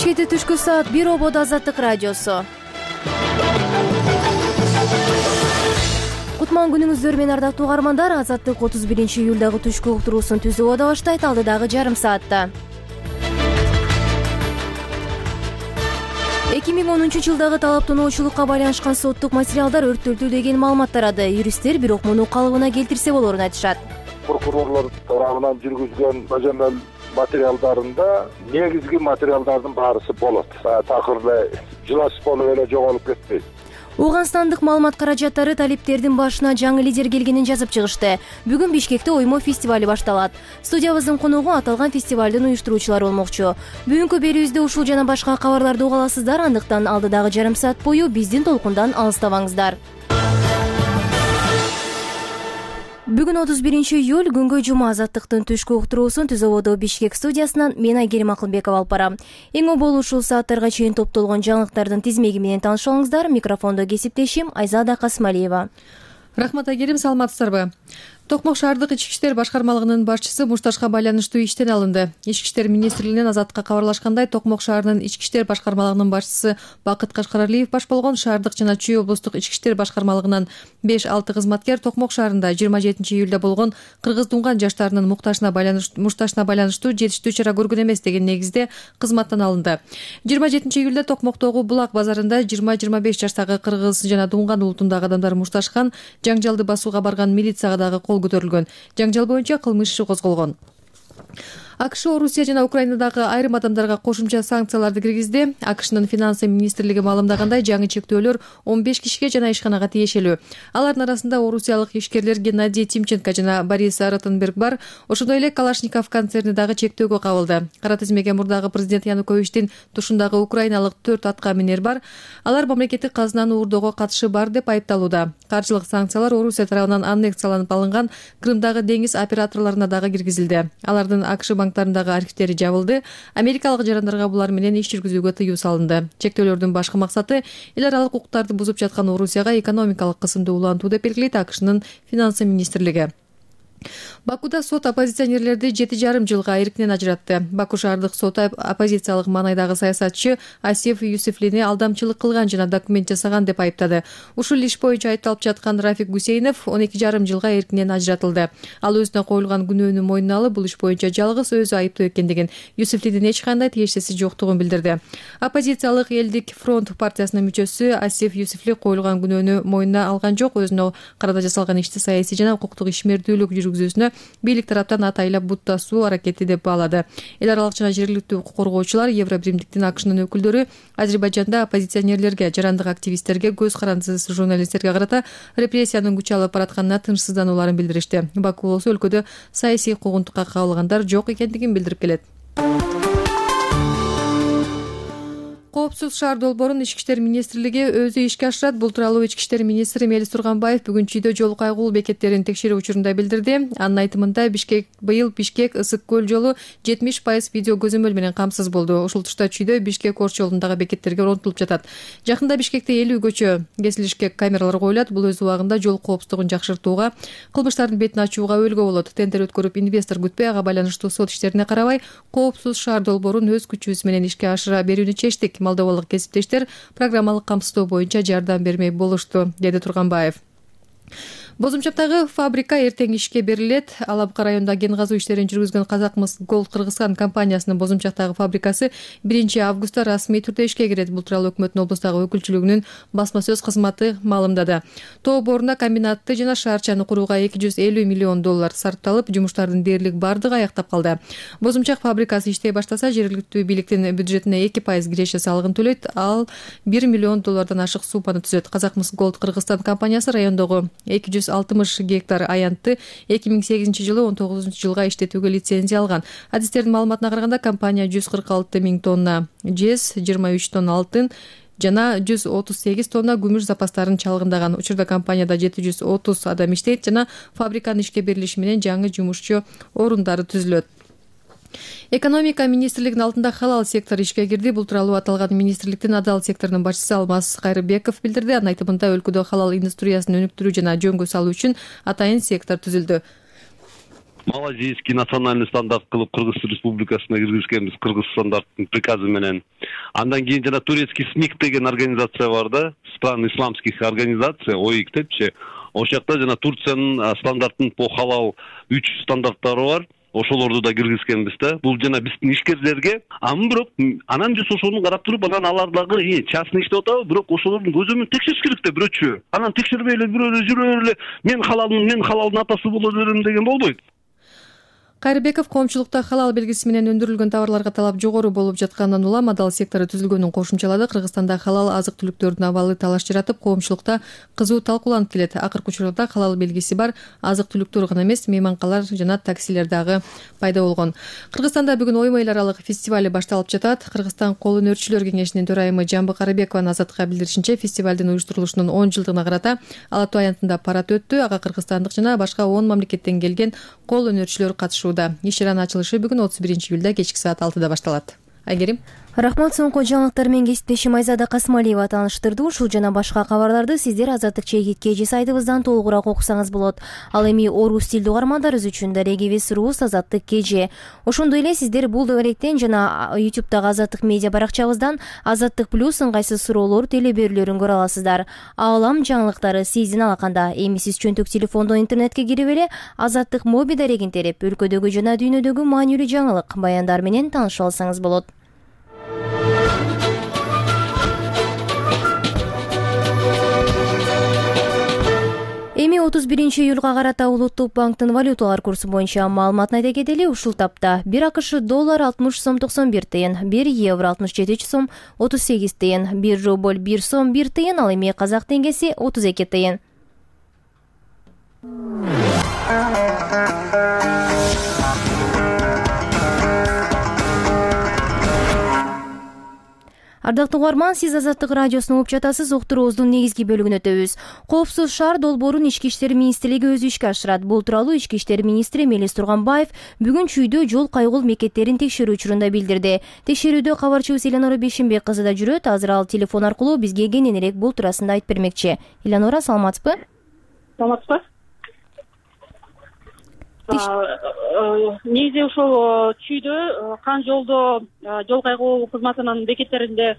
Бишкекте түшкү саат 1 ободо Азаттык радиосу. Кутман күнүңүздөр менен ардактуу угармандар. Азаттык 31-июлдагы түшкү уктуруусун түзүү ода баштайт алдыдагы жарым саатта. 2010-жылдагы талаптануучулукка байланышкан соттук материалдар өрттөлдү деген маалымат тарады. Юристтер бирок муну калыбына келтирсе болорун айтышат. Прокурорлор тарабынан жүргүзгөн бажамал материалдарында негизги материалдардын баарысы болот. Такыр эле жылаш болуп эле жоголуп кетпейт. Ооганстандык маалымат каражаттары талиптердин башына жаңы лидер келгенин жазып чыгышты. Бүгүн Бишкекте оймо фестивали башталат. Студиябыздын коногу аталган фестивалдын уюштуруучулары болмокчу. Бүгүнкү берүүбүздө ушул жана башка кабарларды уга аласыздар. Андыктан алдыдагы жарым саат бою биздин толкундан алыстабаңыздар. Бүгүн 31-июль күнгө жума. Азаттыктын түшкү уктуруусун Түз ободо Бишкек студиясынан мен Айгерим Акылбекова алып барам. Эң оболу ушул сааттарга чейин топтолгон жаңылыктардын тизмеги менен таанышып алыңыздар. Микрофондо кесиптешим Айзада Касмалиева. Рахмат Айгерим, саламатсыздарбы? Токмок шаардык ички иштер башкармалыгынын башчысы мушташка байланыштуу иштен алынды. Ички иштер министрлигинен Азаттыкка кабарлашкандай, Токмок шаарынын ички иштер башкармалыгынын башчысы Бакыт Кашкаралиев баш болгон шаардык жана Чүй облустук ички иштер башкармалыгынан 5-6 кызматкер Токмок шаарында 27-июлда болгон кыргыз тунган жаштарынын муктажына байланыштуу жетиштүү чара көргөн эмес деген негизде кызматтан алынды. 27-июлда Токмоктогу Булак базарында 20-25 жаштагы кыргыз жана тунган улутундагы адамдар мушташкан, жаңжалды басууга барган милицияга дагы кол көтөрүлгөн. Жаңжал боюнча кылмыш иши козголгон. АКШ Орусия жана Украинадагы айрым адамдарга кошумча санкцияларды киргизди. АКШнын финансы министрлиги маалымдагандай, жаңы чектөөлөр 15 кишиге жана ишканага тиешелүү. Алардын арасында орусиялык ишкерлер Геннадий Тимченко жана Борис Ротенберг бар. Ошондой эле Калашников концерни дагы чектөөгө кабылды. Кара тизмеге мурдагы президент Януковичтин тушундагы украиналык 4 атка минер бар. Алар мамлекеттик казынаны уурдоого катышы бар деп айыпталууда. Каржылык санкциялар Орусия тарабынан аннексияланып алынган Крымдагы деңиз операторлоруна дагы киргизилди. Алардын АКШ банктарындагы архивтери жабылды. Америкалык жарандарга булар менен иш жүргүзүүгө тыюу салынды. Чектөөлөрдүн башкы максаты эл аралык укуктарды бузуп жаткан Орусияга экономикалык кысымды улантуу деп белгилейт АКШнын финансы министрлиги. Бакуда сот оппозиционерлерди 7,5 жылга эркинен ажыратты. Баку шаардык соты оппозициялык маанайдагы саясатчы Асиф Юсуфлини алдамчылык кылган жана документ жасаган деп айыптады. Ушул иш боюнча айыпталып жаткан Рафик Гусейнов 12,5 жылга эркинен ажыратылды. Ал өзүнө коюлган күнөөнү мойнуна алып, бул иш боюнча жалгыз өзү айыптуу экендигин, Юсуфлинин эч кандай тиешеси жоктугун билдирди. Оппозициялык Элдик фронт партиясынын мүчөсү Асиф Юсуфли коюлган күнөөнү мойнуна алган жок, өзүнө карата жасалган ишти саясий жана укуктук ишмердүүлүк жүргүзүүсүнө бийлик тараптан атайлап буттасуу аракети деп баалады. Эл аралык жана жергиликтүү укук коргоочулар, Евробиримдиктин АКШнын өкүлдөрү Азербайжанда оппозиционерлерге, жарандык активисттерге, көз карандысыз журналисттерге карата репрессиянын күч алып баратканына тынчсызданууларын билдиришти. Баку болсо өлкөдө саясий куугунтукка кабылгандар жок экендигин билдирип келет. Коопсуз шаар долбоорун Ички иштер министрлиги өзү ишке ашырат. Бул тууралуу Ички иштер министри Мелис Турганбаев бүгүн Чүйдө жол кайгылуу бекеттерин текшерүү учурунда билдирди. Анын айтымында быйыл Бишкек Ысык көл жолу 70% видео көзөмөл менен камсыз болду. Ушул тушта Чүйдө Бишкек Орч жолундагы бекеттерге орнотулуп жатат. Жакында Бишкекте 50 көчө кесилишке камералар коюлат. Бул өз убагында жол коопсуздугун жакшыртууга, кылмыштардын бетин ачууга өбөлгө болот. Тендер өткөрүп, инвестор күтпөй, ага байланыштуу сот иштерине карабай, коопсуз шаар долбоорун өз күчүбүз менен ишке ашыра берүүнү чечтик. Молдовалык кесиптештер программалык камсыздоо боюнча жардам бермей болушту, деди Турганбаев. Бозумчактагы фабрика эртең ишке берилет. Алапка районунда кен казуу иштерин жүргүзгөн Казакмыс Голд Кыргызстан компаниясынын Бозумчактагы фабрикасы 1-августта расмий түрдө ишке кирет. Бул тууралуу өкмөттүн облустагы өкүлчүлүгүнүн басма сөз кызматы маалымдады. Тоо борунда комбинатты жана шаарчаны курууга $250 миллион сарпталып, жумуштардын дээрлик бардыгы аяктап калды. Бозумчак фабрикасы иштей баштаса, жергиликтүү бийликтин бюджетине 2% киреше салыгын төлөйт. Ал $1 миллион ашык сумманы түзөт. Казакмыс Голд Кыргызстан компаниясы райондогу 260 гектар аянтты 2008 жылы 19 жылга иштетүүгө лицензия алган. Адистердин маалыматына караганда, компания 146 миң тонна жез, 23 тонна алтын жана 138 тонна күмүш запастарын чалгындаган. Учурда компанияда 730 адам иштейт жана фабриканын ишке берилиши менен жаңы жумушчу орундары түзүлөт. Экономика министрлигинин алдында халал сектор ишке кирди. Бул тууралуу аталган министрликтин адал секторунун башчысы Алмаз Кайрыбеков билдирди. Анын айтымында, өлкөдө халал индустриясын өнүктүрүү жана жөнгө салуу үчүн атайын сектор түзүлдү. малазийский национальный стандарт кылып Кыргыз Республикасына киргизгенбиз, кыргыз стандарттын приказы менен. Андан кийин жана турецкий СМИК деген организация бар да, стран исламских организаций, ОИК депчи. Ошол жакта жана Турциянын стандарттын по халал 3 стандарттары бар. Ошолорду да киргизгенбиз да. Бул жана биздин ишкерлерге. Бирок анан биз ошону карап туруп, анан алар дагы частный иштеп атабы, бирок ошолордун көзөмөн текшериш керек да бирөөчү. Анан текшербей эле бирөө жүрө эле мен халалдын атасы боло берем деген болбойт. Кайрыбеков коомчулукта халал белгиси менен өндүрүлгөн товарларга талап жогору болуп жатканынан улам адал сектору түзүлгөнүн кошумчалады. Кыргызстанда халал азык-түлүктөрдүн абалы талаш жаратып, коомчулукта кызуу талкууланып келет. Акыркы учурда халал белгиси бар азык-түлүктөр гана эмес, мейманкалар жана таксилер дагы пайда болгон. Кыргызстанда бүгүн оймо эл аралык фестивали башталып жатат. Кыргызстан кол өнөрчүлөр кеңешинин төрайымы Жамбы Карыбекованын Азаттыкка билдиришинче, фестивалдын уюштурулушунун 10 жылдыгына карата Ала Тоо аянтында парад өттү. Ага кыргызстандык жана башка 10 мамлекеттен келген кол өнөрчүлөр катышууда. Иш-чаранын ачылышы бүгүн 31-июлда кечки саат 6-да башталат. Айгерим. Рахмат, соңку жаңылыктар менен кесиптешим Айзада Касымалиева тааныштырды. Ушул жана башка кабарларды сиздер Азаттык ЧК сайтыбыздан толугураак окусаңыз болот. Ал эми орус тилдүү угармандарыбыз үчүн @rus Азаттык КЖ. Ошондой эле сиздер бул даректен жана YouTube'дагы Азаттык медиа баракчабыздан Азаттык плюс ыңгайсыз суроолор телеберүүлөрүн көрө аласыздар. Аалам жаңылыктары сиздин алаканда. Эми сиз чөнтөк телефондон интернетке кирип эле Азаттык моби дарегин терип, өлкөдөгү жана дүйнөдөгү маанилүү жаңылык, баяндар менен тааныша алсаңыз болот. Эми 31-июлга карата Улуттук банктын валюталар курсу боюнча маалыматын айта кетели. Ушул тапта 1 АКШ доллар 60 сом 91 тыйын, 1 евро 67 сом 38 тыйын, 1 рубль 1 сом 1 тыйын, ал эми казак теңгеси 32 тыйын. Ардактуу угарман, сиз Азаттык радиосун угуп жатасыз. Уктуруубуздун негизги бөлүгүнө өтөбүз. Коопсуз шаар долбоорун Ички иштер министрлиги өзү ишке ашырат. Бул тууралуу Ички иштер министри Мелис Турганбаев бүгүн Чүйдө жол кайгыл мекеттерин текшерүү учурунда билдирди. Текшерүүдө кабарчыбыз Элянора Бейшенбек кызы да жүрөт. Азыр ал телефон аркылуу бизге кененирээк бул туурасында айтып бермекчи. Элянора, саламатсызбы? Саламатсызбы. Негизи ошол Чүйдө Кан жолдо жол кайгылуу кызматынын бекеттеринде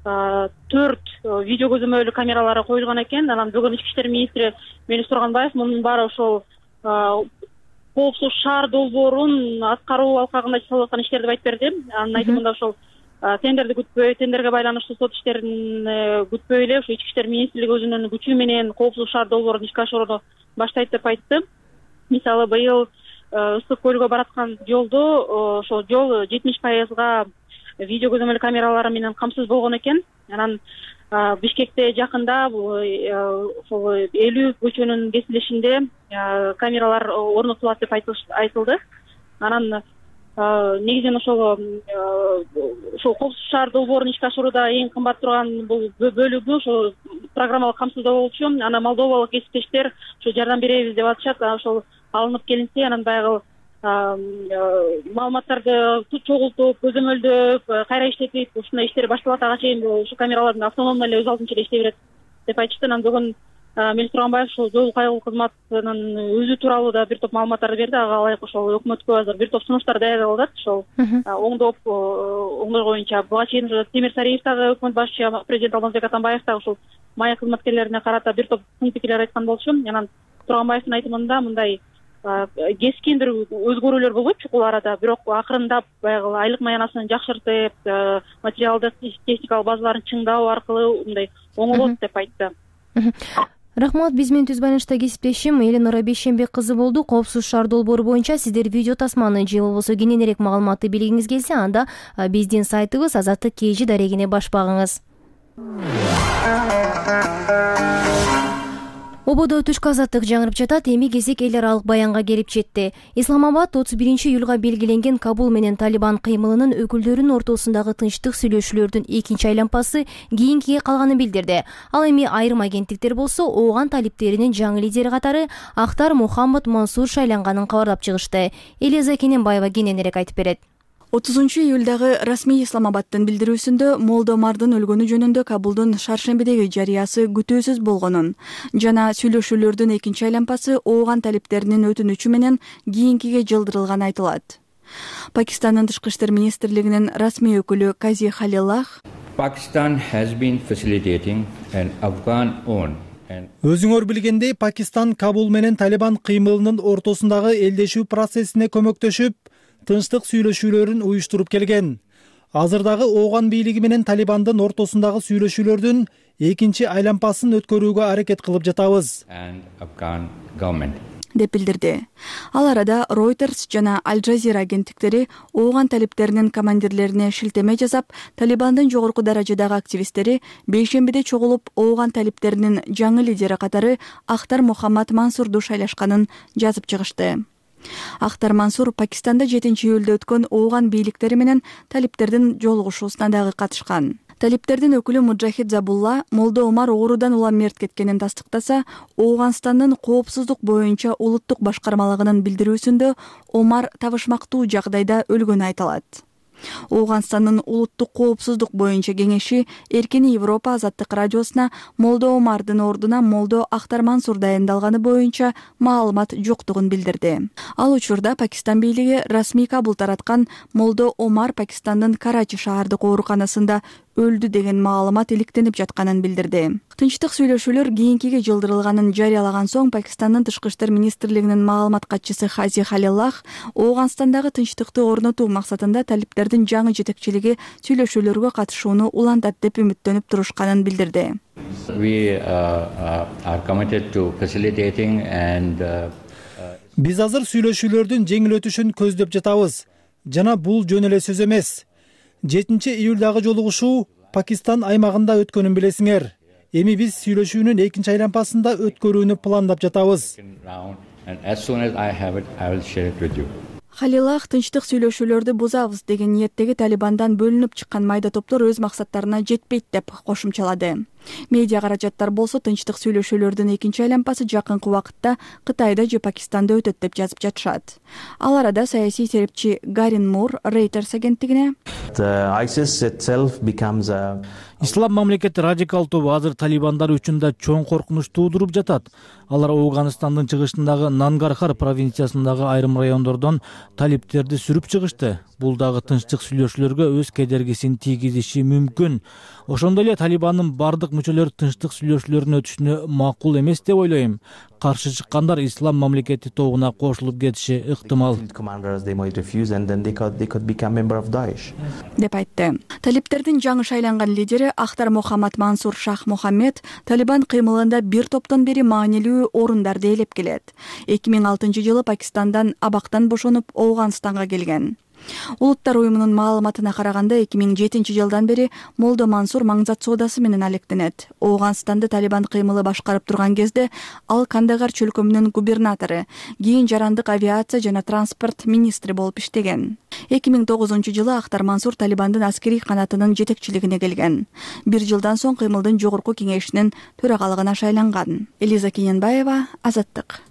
4 видео көзөмөлү камералары коюлган экен. Анан бүгүн Ички иштер министри Мелис Турганбаев мунун баары ошол коопсуз шаар долбоорун аткаруу алкагында жасалып аткан иштер деп айтып берди. Анын айтымында ошол тендерди күтпөй, тендерге байланыштуу сот иштерин күтпөй эле ошо Ички иштер министрлиги өзүнүн күчү менен коопсуз шаар долбоорун ишке ашырууну баштайт деп айтты. Мисалы, быйыл Ысык көлгө бараткан жолдо ошол жол 70% видео көзөмөл камералары менен камсыз болгон экен. Анан Бишкекте жакында ошол 50 көчөнүн кесилишинде камералар орнотулат деп айтылды. Анан негизинен ошол коопсуз шаар долбоорун ишке ашырууда эң кымбат турган бул бөлүгү ошол программалык камсыздоо болчу. Анан молдовалык кесиптештер ошо жардам беребиз деп атышат. Ошол алынып келинсе, анан баягы маалыматтарды чогултуп, көзөмөлдөп, кайра иштетип, ушундай иштер башталат. Ага чейин ушу камералардын автономдуу эле өз алдынча эле иштей берет деп айтышты. Анан бүгүн Мелис Турганбаев ошол жол кайгылуу кызматынын өзү тууралуу да бир топ маалыматтарды берди. Ага ылайык ошол өкмөткө азыр бир топ сунуштар даярдап атат. Ошол оңдор боюнча буга чейин Темир Сариев дагы өкмөт башчы, президент Алмазбек Атамбаев дагы ушул мая кызматкерлерине карата бир топ сын пикирлер айткан болчу. Анан Турганбаевдин айтымында мындай кескин бир өзгөрүүлөр болбойт чукул арада, бирок акырындап баягы айлык маянасын жакшыртып, материалдык техникалык базаларын чыңдоо аркылуу мындай оңолот деп айтты. Рахмат, биз менен түз байланышта кесиптешим Элянора Бейшенбек кызы болду. Коопсуз шаар долбоору боюнча сиздер видео тасманы же болбосо кененирээк маалыматты билгиңиз келсе, анда биздин сайтыбыз Азаттык КЖ дарегине баш багыңыз. Ободо түшкү азаттык жаңырып жатат. Эми кезек эл аралык баянга келип жетти. Исламабад 31-июлга белгиленген Кабул менен Талибан кыймылынын өкүлдөрүнүн ортосундагы тынчтык сүйлөшүүлөрдүн экинчи айланпасы кийинкиге калганын билдирди. Ал эми айрым агенттиктер болсо ооган талиптеринин жаңы лидери катары Ахтар Мухаммад Мансур шайланганын кабарлап чыгышты. Элиза Кененбаева кененирээк айтып берет. 30-июлдагы расмий Исламабадтын билдирүүсүндө Молдо Омардын өлгөнү жөнүндө Кабулдун Шаршембидеги жарыясы күтүүсүз болгонун жана сүйлөшүүлөрдүн экинчи айлампасы ооган талиптеринин өтүнүчү менен кийинкиге жылдырылганы айтылат. Пакистандын тышкы иштер министрлигинин расмий өкүлү Кази Халилах Pakistan has been facilitating an Afghan-owned Өзүңөр билгендей, Пакистан Кабул менен Талибан кыймылынын ортосундагы элдешүү процессине көмөктөшүп, тынчтык сүйлөшүүлөрүн уюштуруп келген. Азырдагы ооган бийлиги менен Талибандын ортосундагы сүйлөшүүлөрдүн экинчи айлампасын өткөрүүгө аракет кылып жатабыз деп билдирди. Ал арада Reuters жана Al Jazeera агенттиктери ооган талиптеринин командирлерине шилтеме жасап, Талибандын жогорку даражадагы активисттери бейшембиде чогулуп ооган талиптеринин жаңы лидери катары Ахтар Мухаммад Мансурду шайлашканын жазып чыгышты. Ахтар Мансур Пакистанда 7-июлда өткөн ооган бийликтери менен талиптердин жолугушуусуна дагы катышкан. Талиптердин өкүлү Муджахид Забулла Молдо Омар оорудан улам мерт кеткенин тастыктаса, Ооганстандын коопсуздук боюнча улуттук башкармалыгынын билдирүүсүндө Омар табышмактуу жагдайда өлгөнү айтылат. Ооганстандын улуттук коопсуздук боюнча кеңеши Эркин Европа азаттык радиосуна Молдо Омардын ордуна Молдо Ахтар Мансур дайындалганы боюнча маалымат жоктугун билдирди. Ал учурда Пакистан бийлиги расмий Кабул тараткан Молдо Омар Пакистандын Карачи шаардык ооруканасында өлдү деген маалымат иликтенип жатканын билдирди. Тынчтык сүйлөшүүлөр кийинкиге жылдырылганын жарыялаган соң Пакистандын тышкы иштер министрлигинин маалымат катчысы Хази Халилах Ооганстандагы тынчтыкты орнотуу максатында талиптердин жаңы жетекчилиги сүйлөшүүлөргө катышууну улантат деп үмүттөнүп турушканын билдирди. Биз азыр сүйлөшүүлөрдүн жеңил өтүшүн көздөп жатабыз жана бул жөн эле сөз эмес. 7-июлдагы жолугушуу Пакистан аймагында өткөнүн билесиңер. Эми биз сүйлөшүүнүн экинчи айлампасында өткөрүүнү пландап жатабыз. Халилах тынчтык сүйлөшүүлөрдү бузабыз деген ниеттеги Талибандан бөлүнүп чыккан майда топтор өз максаттарына жетпейт деп кошумчалады. Медиа каражаттар болсо тынчтык сүйлөшүүлөрдүн экинчи айлампасы жакынкы убакытта Кытайда же Пакистанда өтөт деп жазып жатышат. Ал арада саясий серепчи Гарин Мур Reuters агенттигине Ислам мамлекети радикал тобу азыр талибандар үчүн да чоң коркунуч туудуруп жатат. Алар Ооганстандын чыгышындагы Нангархар провинциясындагы айрым райондордон талиптерди сүрүп чыгышты. Бул дагы тынчтык сүйлөшүүлөргө өз кедергисин тийгизиши мүмкүн. Ошондой эле Талибандын бардык мүчөлөрү тынчтык сүйлөшүүлөрдүн өтүшүнө макул эмес деп ойлойм. Каршы чыккандар Ислам мамлекети тобуна кошулуп кетиши ыктымал деп айтты. Талиптердин жаңы шайланган лидери Ахтар Мухаммад Мансур Шах Мухаммед Талибан кыймылында бир топтон бери маанилүү орундарды ээлеп келет. 2006-жылы Пакистандан абактан бошонуп Ооганстанга келген. Улуттар уюмунун маалыматына караганда 2007-жылдан бери Молдо Мансур маңзат соодасы менен алектенет. Ооганстанды Талибан кыймылы башкарып турган кезде ал Кандагар чөлкөмүнүн губернатору, кийин жарандык авиация жана транспорт министри болуп иштеген. 2009-жылы Ахтар Мансур Талибандын аскерий канатынын жетекчилигине келген. Бир жылдан соң кыймылдын жогорку кеңешинин төрагалыгына шайланган. Элиза Кененбаева, Азаттык.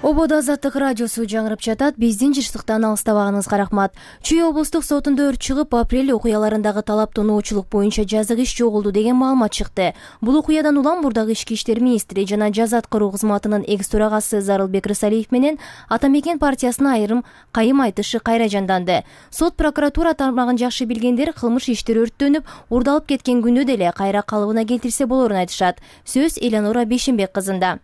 Ободо Азаттык радиосу жаңырып жатат. Биздин жыштыктан алыстабаганыңызга рахмат. Чүй облустук сотунда өрт чыгып, апрель окуяларындагы талаптонуучулук боюнча жазык иш жоголду деген маалымат чыкты. Бул окуядан улам бурдагы ички иштер министри жана жаза аткаруу кызматынын экс төрагасы Зарылбек Рысалиев менен Ата Мекен партиясына айрым кайым айтышы кайра жанданды. Сот прокуратура тармагын жакшы билгендер кылмыш иштер өрттөнүп, урдалып кеткен күнү деле кайра калыбына келтирсе болорун айтышат. Сөз Элеонора Бейшенбек кызында.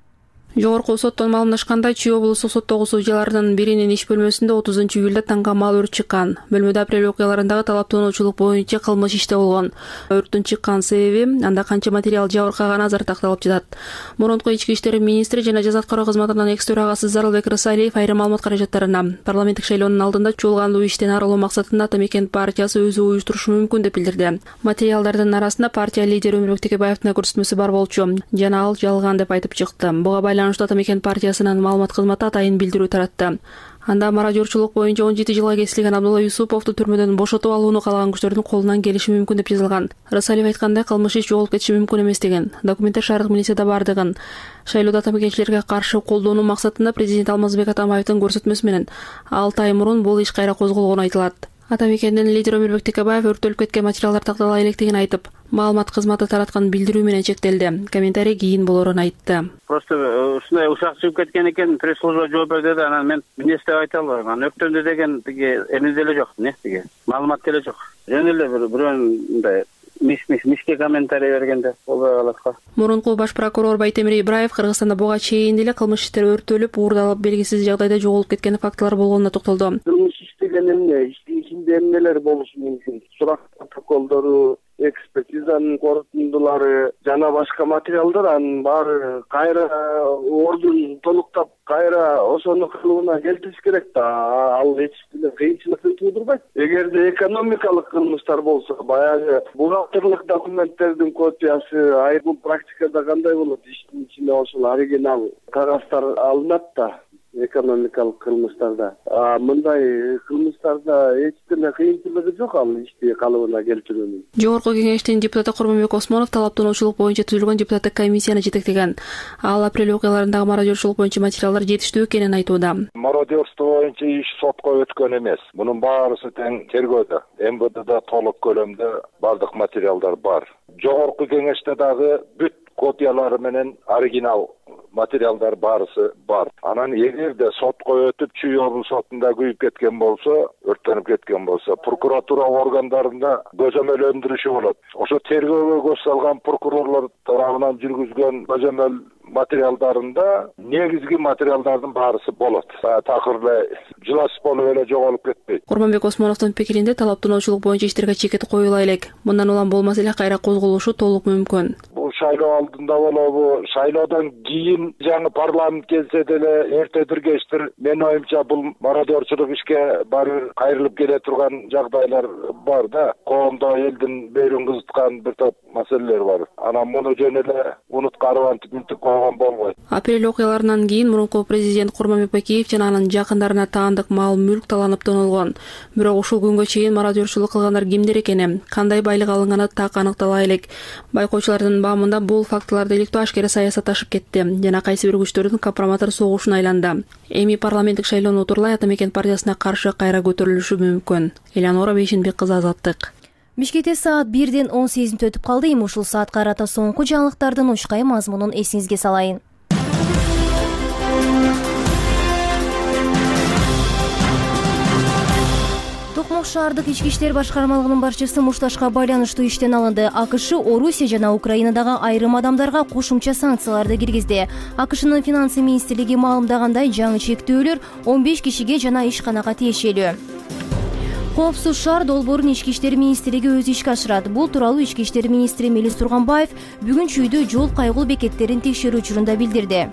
Жогорку соттон маалымдашкандай, Чүй облустук соттогу судьяларынын биринин иш бөлмөсүндө 30-июлда таңгамал өрт чыккан. Бөлмөдө апрель окуяларындагы талаптонуучулук боюнча кылмыш иште болгон. Өрттүн чыккан себеби, анда канча материал жабыркаганы азыр такталып жатат. Мурунку ички иштер министри жана жаза аткаруу кызматынын экс төрагасы Зарылбек Рысалиев айрым маалымат каражаттарына парламенттик шайлоонун алдында чуулгандуу иштен арылуу максатында Ата Мекен партиясы өзү уюштурушу мүмкүн деп билдирди. Материалдардын арасында партия лидери Өмүрбек Текебаевдин көрсөтмөсү бар болчу, жана ал жалган деп айтып чыкты. Буга байланыштуу Ата Мекен партиясынын маалымат кызматы атайын билдирүү таратты. Анда мародерчулук боюнча 17 жылга кесилген Абдулла Юсуповду түрмөдөн бошотуп алууну каалаган күчтөрдүн колунан келиши мүмкүн деп жазылган. Рысалиев айткандай, кылмыш иш жоголуп кетиши мүмкүн эмес деген. Документтер шаардык милицияда бардыгын, шайлоодо атамекенчилерге каршы колдонуу максатында президент Алмазбек Атамбаевдин көрсөтмөсү менен 6 ай мурун бул иш кайра козголгону айтылат. Атамекендин лидери Өмүрбек Текебаев өрттөлүп кеткен материалдар тактала электигин айтып, маалымат кызматы тараткан билдирүү менен чектелди. Комментарий кийин болорун айтты. Просто ушундай ушак чыгып кеткен экен, пресс-служба жооп берди да, анан мен эмнеси деп айта албайм. Анан өктөндө деген тиги эме деле жок, тиги маалымат деле жок. Жөн эле бирөөнүн мындай мишке комментарий бергенде болбой калат го. Мурунку баш прокурор Байтемир Ибраев Кыргызстанда буга чейин деле кылмыш иштер өрттөлүп, уурдалып, белгисиз жагдайда жоголуп кеткен фактылар болгонуна токтолду. Кылмыш иш деген эмне? Иштин ичинде эмнелер болушу мүмкүн? Сурак протоколдору, экспертизанын корутундулары жана башка материалдар, анын баары кайра ордун толуктап, кайра ошону кылыбына келтириш керек да. Ал эч бир кыйынчылык туудурбайт. Эгерде экономикалык кылмыштар болсо, баягы бухгалтердик документтердин копиясы, бул практикада кандай болот? Иштин ичинде ошол оригинал кагаздар алынат да. Экономикалык кылмыштарда. Мындай кылмыштарда эч деле кыйынчылыгы жок ал ишти калыбына келтирүүнүн. Жогорку кеңештин депутаты Курманбек Осмонов талаптануучулук боюнча түзүлгөн депутаттык комиссияны жетектеген. Ал апрель окуяларындагы мародерчулук боюнча материалдар жетиштүү экенин айтууда. Мародерство боюнча иш сотко өткөн эмес. Мунун баарысы тең тергөөдө. МВДда толук көлөмдө бардык материалдар бар. Жогорку кеңеште дагы бүт копиялары менен оригинал материалдар баарысы бар. Анан эгерде сотко өтүп, Чүй облус сотунда күйүп кеткен болсо, өрттөнүп кеткен болсо, прокуратура органдарында көзөмөлдөрүшү болот. Ошо тергөөгө көз салган прокурорлор тарабынан жүргүзгөн көзөмөл материалдарында негизги материалдардын баарысы болот. Такыр эле жыласып болуп эле жоголуп кетпейт. Курманбек Осмоновдун пикиринде талаптануучулук боюнча иштерге чекит коюла элек. Мындан улам болмаса эле кайра козголушу толук мүмкүн. Бул шайлоо алдында болобу, шайлоодон кийин жаңы парламент келсе деле эртедир кечтир менин оюмча бул мародерчулук ишке баары кайрылып келе турган жагдайлар бар да. Коомдо элдин берүүн кызыткан бир топ маселелер бар. Анан муну жөн эле унуткарып антип койгон болбойт. Апрель окуяларынан кийин мурунку президент Курманбек Бакиев жана анын жакындарына таандык мал мүлк таланып тонолгон. Бирок ушул күнгө чейин мародерчулук кылгандар кимдер экени, кандай байлык алынганы так аныктала элек. Байкоочулардын баамында бул фактыларды иликтөө ашкера саясатташып кетти жана кайсы бир күчтөрдүн компроматор согушуна айланды. Эми парламенттик шайлоону утурлай Атамекен партиясына каршы кайра көтөрүлүшү мүмкүн. Элеонора Бейшенбек кызы, Азаттык. Бишкекте саат 1-ден 18 мүнөт өтүп калды. Эми ушул саатка карата соңку жаңылыктардын учкай мазмунун эсиңизге салайын. Токмок шаардык ички иштер башкармалыгынын башчысы мушташка байланыштуу иштен алынды. АКШ Орусия жана Украинадагы айрым адамдарга кошумча санкцияларды киргизди. АКШнын финансы министрлиги маалымдагандай, жаңы чектөөлөр 15 кишиге жана ишканага тиешелүү. Коопсуз шаар долбоорун ички иштер министрлиги өзү ишке ашырат. Бул тууралуу ички иштер министри Мелис Турганбаев бүгүн Чүйдө жол кайгыл бекеттерин текшерүү учурунда билдирди.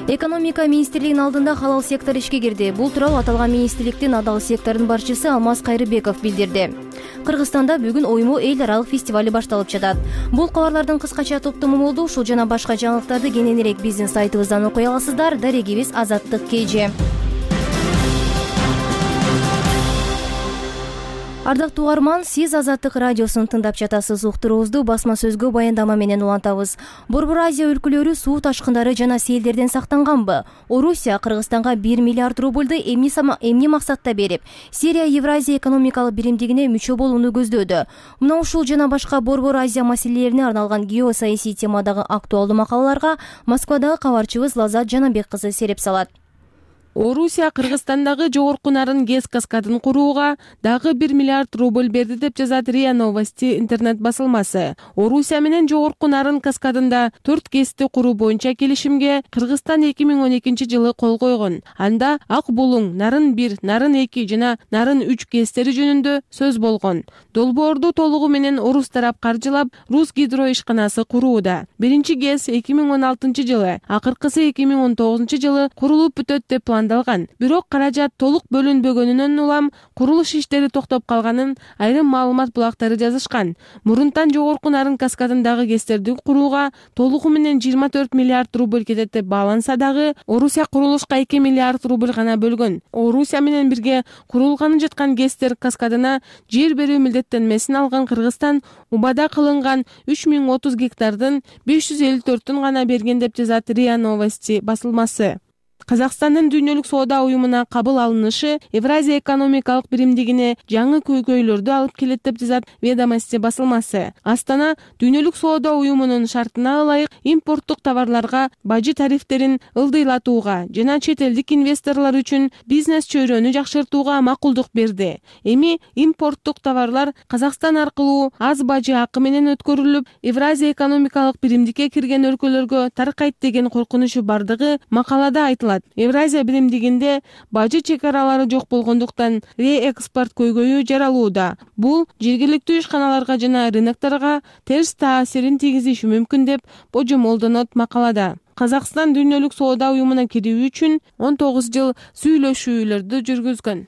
Экономика министрлигинин алдында халал сектор ишке кирди. Бул тууралуу аталган министрликтин адал секторунун башчысы Алмаз Кайрыбеков билдирди. Кыргызстанда бүгүн оймо эл аралык фестивали башталып жатат. Бул кабарлардын кыскача топтому болду. Ушул жана башка жаңылыктарды кененирээк биздин сайтыбыздан окуй аласыздар. Дарегибиз Азаттык KG. Ардактуу угарман, сиз Азаттык радиосун тыңдап жатасыз. Уктуруубузду басма сөзгө баяндама менен улантабыз. Борбор Азия өлкөлөрү суу ташкындары жана селдерден сактанганбы? Орусия Кыргызстанга 1 миллиард рубльду эмне максатта берип, Сирия Евразия экономикалык биримдигине мүчө болууну көздөөдө. Мына ушул жана башка Борбор Азия маселелерине арналган геосаясий темадагы актуалдуу макалаларга Москвадагы кабарчыбыз Лазат Жанабек кызы сереп салат. Орусия Кыргызстандагы жогорку нарын ГЭС каскадын курууга дагы 1 миллиард рубль берди деп жазат РИА Новости интернет басылмасы. Орусия менен жогорку нарын каскадында 4 ГЭСти куруу боюнча келишимге Кыргызстан 2012-жылы кол койгон. Анда Ак Булуң, Нарын 1, Нарын 2 жана Нарын 3 ГЭСтери жөнүндө сөз болгон. Долбоорду толугу менен орус тарап каржылап, Рус гидро ишканасы курууда. Биринчи ГЭС 2016-жылы, акыркысы 2019-жылы курулуп бүтөт деп план армандалган. Бирок каражат толук бөлүнбөгөнүнөн улам курулуш иштери токтоп калганын айрым маалымат булактары жазышкан. Мурунтан жогорку Нарын каскадындагы ГЭСтерди курууга толугу менен 24 миллиард рубль кетет деп бааланса дагы, Орусия курулушка 2 миллиард рубль гана бөлгөн. Орусия менен бирге курулганы жаткан ГЭСтер каскадына жер берүү милдеттенмесин алган Кыргызстан убада кылынган 3030 гектардын 554-ün гана берген деп жазат РИА Новости басылмасы. Казакстандын дүйнөлүк соода уюмуна кабыл алынышы Евразия экономикалык биримдигине жаңы көйгөйлөрдү алып келет деп жазат Ведомости басылмасы. Астана дүйнөлүк соода уюмунун шартына ылайык импорттук товарларга бажы тарифтерин ылдыйлатууга жана чет элдик инвесторлор үчүн бизнес чөйрөнү жакшыртууга макулдук берди. Эми импорттук товарлар Казакстан аркылуу аз бажы акы менен өткөрүлүп, Евразия экономикалык биримдикке кирген өлкөлөргө таркайт деген коркунучу бардыгы макалада айтылат. Евразия биримдигинде бажы чек аралары жок болгондуктан реэкспорт көйгөйү жаралууда. Бул жергиликтүү ишканаларга жана рынокторго терс таасирин тийгизиши мүмкүн деп божомолдонот макалада. Казакстан дүйнөлүк соода уюмуна кирүү үчүн 19 жыл сүйлөшүүлөрдү жүргүзгөн.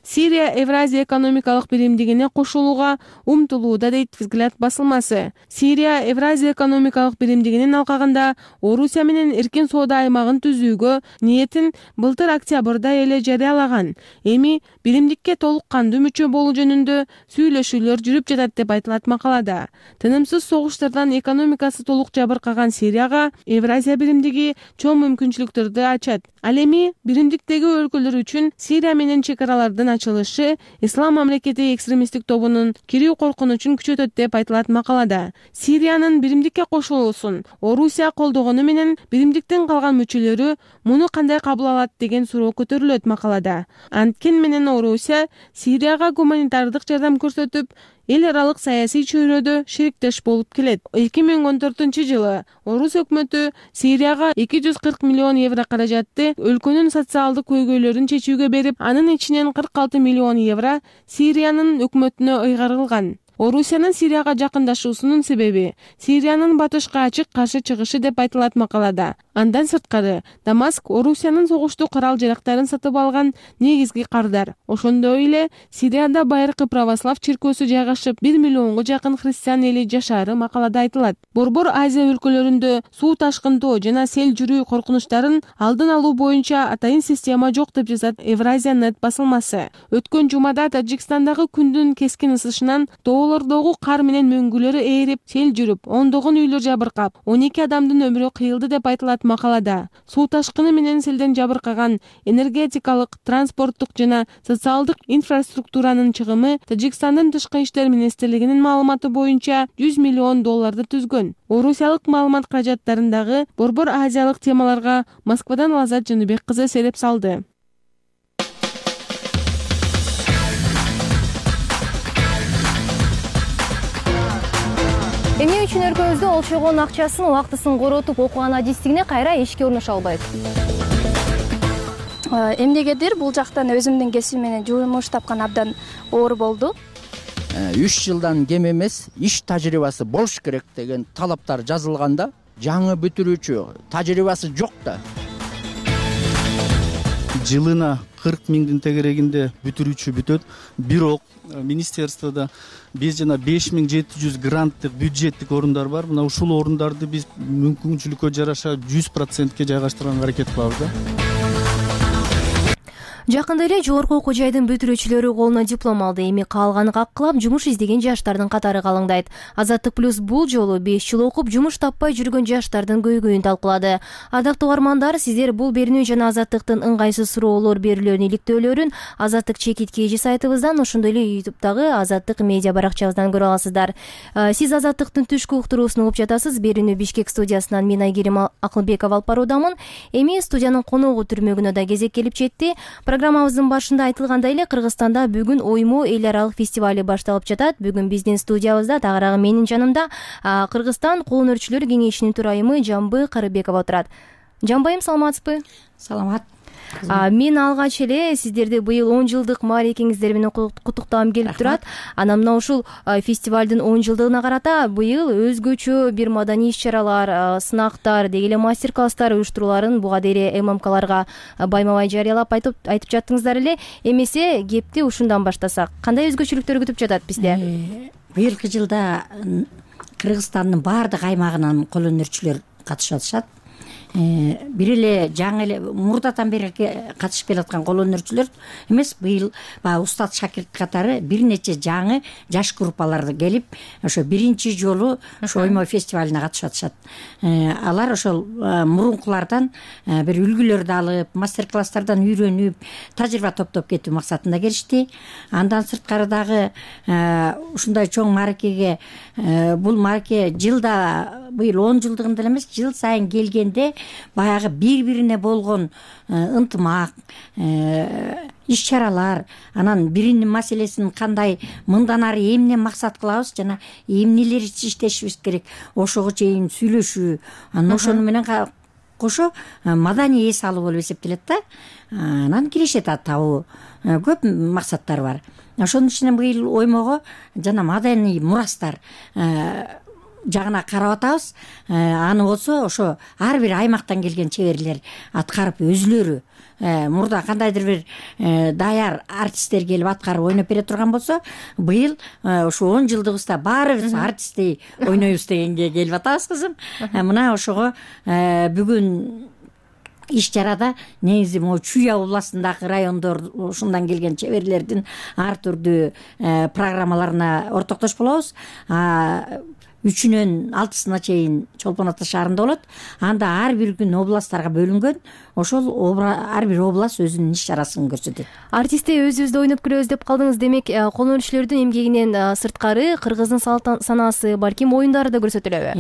Сирия Евразия экономикалык биримдигине кошулууга умтулууда дейт Взгляд басылмасы. Сирия Евразия экономикалык биримдигинин алкагында Орусия менен эркин соода аймагын түзүүгө ниетин былтыр октябрда эле жарыялаган. Эми биримдикке толук кандуу мүчө болуу жөнүндө сүйлөшүүлөр жүрүп жатат деп айтылат макалада. Тынымсыз согуштардан экономикасы толук жабыркаган Сирияга Евразия биримдиги чоң мүмкүнчүлүктөрдү ачат. Ал эми биримдиктеги өлкөлөр үчүн Сирия менен чек аралардын ачылышы Ислам мамлекети экстремисттик тобунун кирүү коркунучун күчөтөт деп айтылат макалада. Сириянын биримдикке кошулуусун Орусия колдогону менен биримдиктин калган мүчөлөрү муну кандай кабыл алат деген суроо көтөрүлөт макалада. Анткен менен Орусия Сирияга гуманитардык жардам көрсөтүп, эл аралык саясий чөйрөдө шериктеш болуп келет. 2014-жылы Орус өкмөтү Сирияга 240 миллион евро каражатты өлкөнүн социалдык көйгөйлөрүн чечүүгө берип, анын ичинен 46 миллион евро Сириянын өкмөтүнө ыйгарылган. Орусиянын Сирияга жакындашуусунун себеби Сириянын батышка ачык каршы чыгышы деп айтылат макалада. Андан сырткары, Дамаск Орусиянын согуштук карал-жарактарын сатып алган негизги кардар. Ошондой эле Сирияда байыркы православ чиркөөсү жайгашып, 1 миллионго жакын христиан эли жашаары макалада айтылат. Борбор Азия өлкөлөрүндө суу ташкындоо жана сел жүрүү коркунучтарын алдын алуу боюнча атайын система жок деп жазат Евразия Net басылмасы. Өткөн жумада Тажикстандагы күндүн кескин ысышынан тоолордогу кар менен мөңгүлөрү ээрип, сел жүрүп, ондогон үйлөр жабыркап, 12 адамдын өмүрү кыйылды деп айтылат макалада. Суу ташкыны менен селден жабыркаган энергетикалык, транспорттук жана социалдык инфраструктуранын чыгымы Тажикстандын тышкы иштер министрлигинин маалыматы боюнча $100 миллион түзгөн. Орусиялык маалымат каражаттарындагы борбор азиялык темаларга Москвадан Лазат Жаныбек кызы сереп салды. Эмне үчүн өлкөбүздө олчогон акчасын убактысын коротуп окуган адистигине кайра ишке орношо албайт? Эмнегедир бул жактан өзүмдүн кесибим менен жумуш тапкан абдан оор болду. 3 жылдан кем эмес иш тажрыйбасы болуш керек деген талаптар жазылганда, жаңы бүтүрүүчү тажрыйбасы жок да. Жылына 40 миңдин тегерегинде бүтүрүүчү бүтөт. Бирок министерствода биз жана 5700 гранттык бюджеттик орундар бар. Мына ушул орундарды биз мүмкүнчүлүккө жараша 100%ке жайгаштырганга аракет кылабыз да. Жакында эле жогорку окуу жайдын бүтүрүүчүлөрү колуна диплом алды. Эми калганы каккылап жумуш издеген жаштардын катары калыңдайт. Азаттык плюс бул жолу 5 жыл окуп жумуш таппай жүргөн жаштардын көйгөйүн талкуулады. Адактуу угармандар, сиздер бул берүүнү жана Азаттыктын ыңгайсыз суроолор берүүлөрүнүн иликтөөлөрүн Азаттык чекит KG сайтыбыздан, ошондой эле YouTube'дагы Азаттык медиа баракчабыздан көрө аласыздар. Сиз Азаттыктын түшкү уктуруусун угуп жатасыз. Берүүнү Бишкек студиясынан мен Айгерим Акылбекова алып баруудамын. Эми студиянын коногу түрмөгүнө да кезек келип жетти. Программабыздын башында айтылгандай эле Кыргызстанда бүгүн Оймо эл аралык фестивали башталып жатат. Бүгүн биздин студиябызда тагыраагы менин жанымда Кыргызстан колөнөрчүлөр кеңешинин төрайымы Жамбы Карыбекова отурат. Жамбайым, саламатсызбы? Саламат. Мен алгач эле сиздерди быйыл 10 жылдык мааракеңиздер менен куттуктагым келип турат. Анан мына ушул фестивалдын 10 жылдыгына карата быйыл өзгөчө бир маданий иш-чаралар, сынактар, деги эле мастер-класстар уюштурууларын буга дейин ММКларга байма-бай жарыялап айтып жаттыңыздар эле. Эмесе кепти ушундан баштасак, кандай өзгөчөлүктөр күтүп жатат бизде? Быйылкы жылда Кыргызстандын баардык аймагынан кол өнөрчүлөр катышып атышат. Бир эле жаңы эле мурдатан бери катышып келаткан кол өнөрчүлөр эмес, быйыл баягы устат шакирт катары бир нече жаңы жаш группалар келип, ошо биринчи жолу ошо оймо фестивалына катышып атышат. Алар ошол мурункулардан бир үлгүлөрдү алып, мастер-класстардан үйрөнүп, тажрыйба топтоп кетүү максатында келишти. Андан сырткары дагы ушундай чоң мааракеге, бул маараке жылда быйыл 10 жылдыгында эле эмес, жыл сайын келгенде баягы бири-бирине болгон ынтымак, иш-чаралар, анан биринин маселесин кандай мындан ары эмне максат кылабыз жана эмнелер иштешибиз керек, ошого чейин сүйлөшүү, анан ошону менен кошо маданий эс алуу болуп эсептелет да. Анан киришет табуу көп максаттар бар. Ошонун ичинен быйыл оймого жана маданий мурастар жагына карап атабыз. Аны болсо ошо ар бир аймактан келген чеберлер аткарып өзүлөрү мурда кандайдыр бир даяр артисттер келип аткарып ойноп бере турган болсо, быйыл ошо 10 жылдыгыбызда баарыбыз артисттей ойнойбуз дегенге келип атабыз кызым. Мына ошого бүгүн иш-чарада негизи могу Чуя областындагы райондор ушундан келген чеберлердин ар түрдүү программаларына ортоктош болобуз. 3-нөн 6-сына чейин Чолпон Ата шаарында болот. Анда ар бир күн областтарга бөлүнгөн. Ошол ар бир област өзүнүн иш-чарасын көрсөтөт. Артистте өзүбүздө ойноп күлөбүз деп калдыңыз. Демек, кол өнөрчүлөрдүн эмгегинен сырткары Кыргыздын салт санаасы, балким оюндары да көрсөтүлөбү?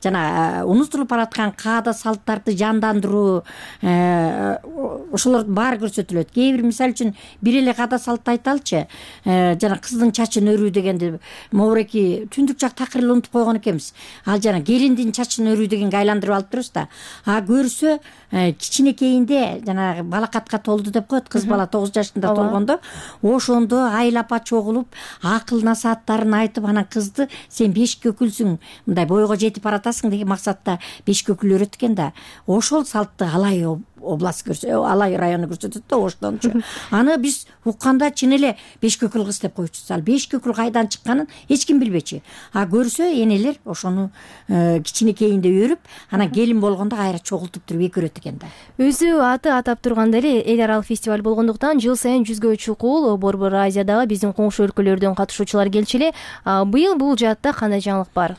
Жана унутулуп бараткан каада салттарды жандандыруу, ошолордун баары көрсөтүлөт. Кээ бир мисалы үчүн бир эле каада салтты айталычы. Жана кыздын чачын өрүү дегенди могуреки түндүк жак такыр эле унутуп койгон экенбиз. Ал жана келиндин чачын өрүү дегенге айландырып алып турбуз да. Көрсө кичинекейинде жана балакатка толду деп коет, кыз бала 9 жашында толгондо, ошондо айлапа чогулуп, акыл насааттарын айтып, анан кызды сен 5 көкүлсүң, мындай бойго жетип баратасың деген максатта 5 көкүл өрөт экен да. Ошол салтты Алай область Алай району көрсөтөт да оштончу. Аны биз укканда чын эле 5 көкүл кыз деп койчубуз. Ал 5 көкүл кайдан чыкканын эч ким билбечи. Көрсө энелер ошону кичинекейинде өрүп, анан келин болгондо кайра чогултуп туруп экөрөт экен да. Өзү аты атап тургандай эле эл аралык фестиваль болгондуктан жыл сайын 100гө чукул Борбор Азиядагы биздин коңшу өлкөлөрдөн катышуучулар келчү эле. Быйыл бул жаатта кандай жаңылык бар?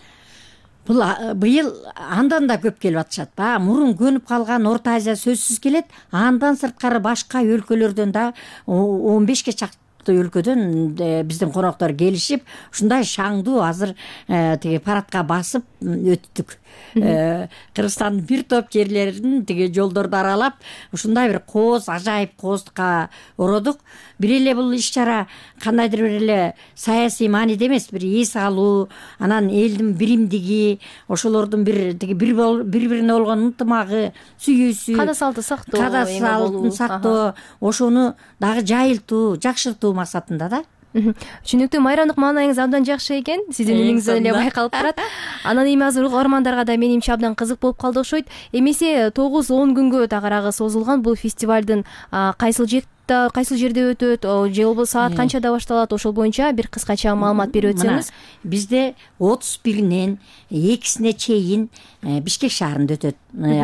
Быйыл андан да көп келип атышат. Мурун көнүп калган Орто Азия сөзсүз келет. Андан сырткары башка өлкөлөрдөн да 15ке чакты өлкөдөн биздин коноктор келишип, ушундай шаңдуу азыр тиги парадка басып өттүк. Кыргызстандын бир топ жерлерин тиги жолдорду аралап, ушундай бир кооз, ажайып кооздукка ородук. Бир эле бул иш-чара кандайдыр бир эле саясий мааниде эмес, бир эс алуу, анан элдин биримдиги, ошолордун бири-бирине болгон ынтымагы, сүйүүсү, каада салтын сактоо, ошону дагы жайылтуу, жакшыртуу максатында да. Түшүнүктүү. Майрамдык маанайыңыз абдан жакшы экен. Сиздин үнүңүздөн эле байкалып турат. Анан эми азыр угармандарга да менимче абдан кызык болуп калды окшойт. Эмесе 9-10 күнгө тагыраагы созулган бул фестивалдын кайсыл жерде өтөт, же болбосо саат канчада башталат, ошол боюнча бир кыскача маалымат берип өтсөңүз. Бизде 31-нен 2-сине чейин Бишкек шаарында өтөт.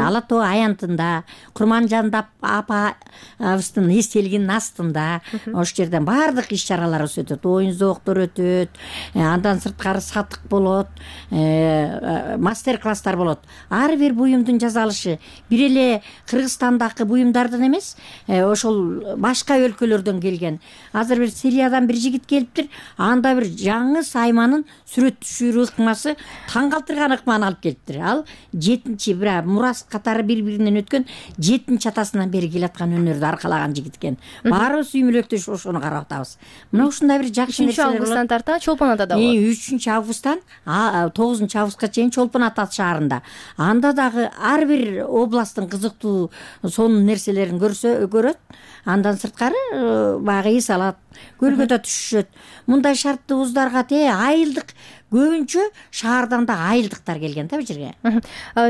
Ала Тоо аянтында, Курманжан апабыздын эстелигинин астында, ошол жерден баардык иш-чаралар өтөт. Оюн зооктор өтөт, андан сырткары сатык болот, мастер-класстар болот. Ар бир буюмдун жасалышы бир эле Кыргызстандагы буюмдардан эмес, ошол башка өлкөлөрдөн келген. Азыр бир Сириядан бир жигит келиптир, анда бир жаңы сайманын сүрөт түшүрүү ыкмасы таң калтырган ыкманы алып келиптир. Ал 7-чи мурас катары бири-биринен өткөн 7-чи атасынан бери келаткан өнөрдү аркалаган жигит экен. Баарыбыз сүймөлөктөшүп ошону карап атабыз. Мына ушундай бир жакшы нерселер 3 августтан тарта Чолпон Атада болот. 3 августтан 9 августка чейин Чолпон Ата шаарында. Анда дагы ар бир областтын кызыктуу сонун нерселерин көрөт. Андан сырткары баягы эс алат, көлгө да түшүшөт. Мындай шарттуу вуздарга айылдык көбүнчө шаардан да айылдыктар келген бул жерге.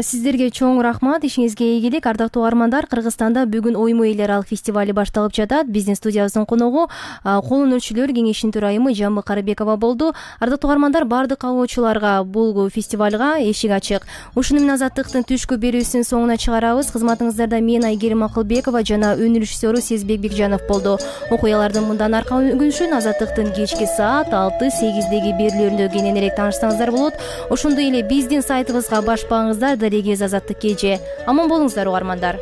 Сиздерге чоң рахмат, ишиңизге ийгилик. Ардактуу угармандар, Кыргызстанда бүгүн Оймо эл аралык фестивали башталып жатат. Биздин студиябыздын коногу Кол өнөрчүлөр кеңешинин төрайымы Жамбыл Карыбекова болду. Ардактуу угармандар, бардык кабылуучуларга бул фестивалга эшик ачык. Ушуну менен Азаттыктын түшкү берүүсүнүн соңуна чыгарабыз. Кызматыңыздарда мен Айгерим Акылбекова жана өнөр режиссеру Сезбек Бекжанов болду. Окуялардын мындан аркы күнүшүн Азаттыктын кечки саат 6-8деги берүүлөрүндө кененирээк таанышсаңыздар болот. Ошондой эле биздин сайтыбызга баш багыңыздар. Дарегиз Азаттык кеже. Аман болуңуздар угармандар.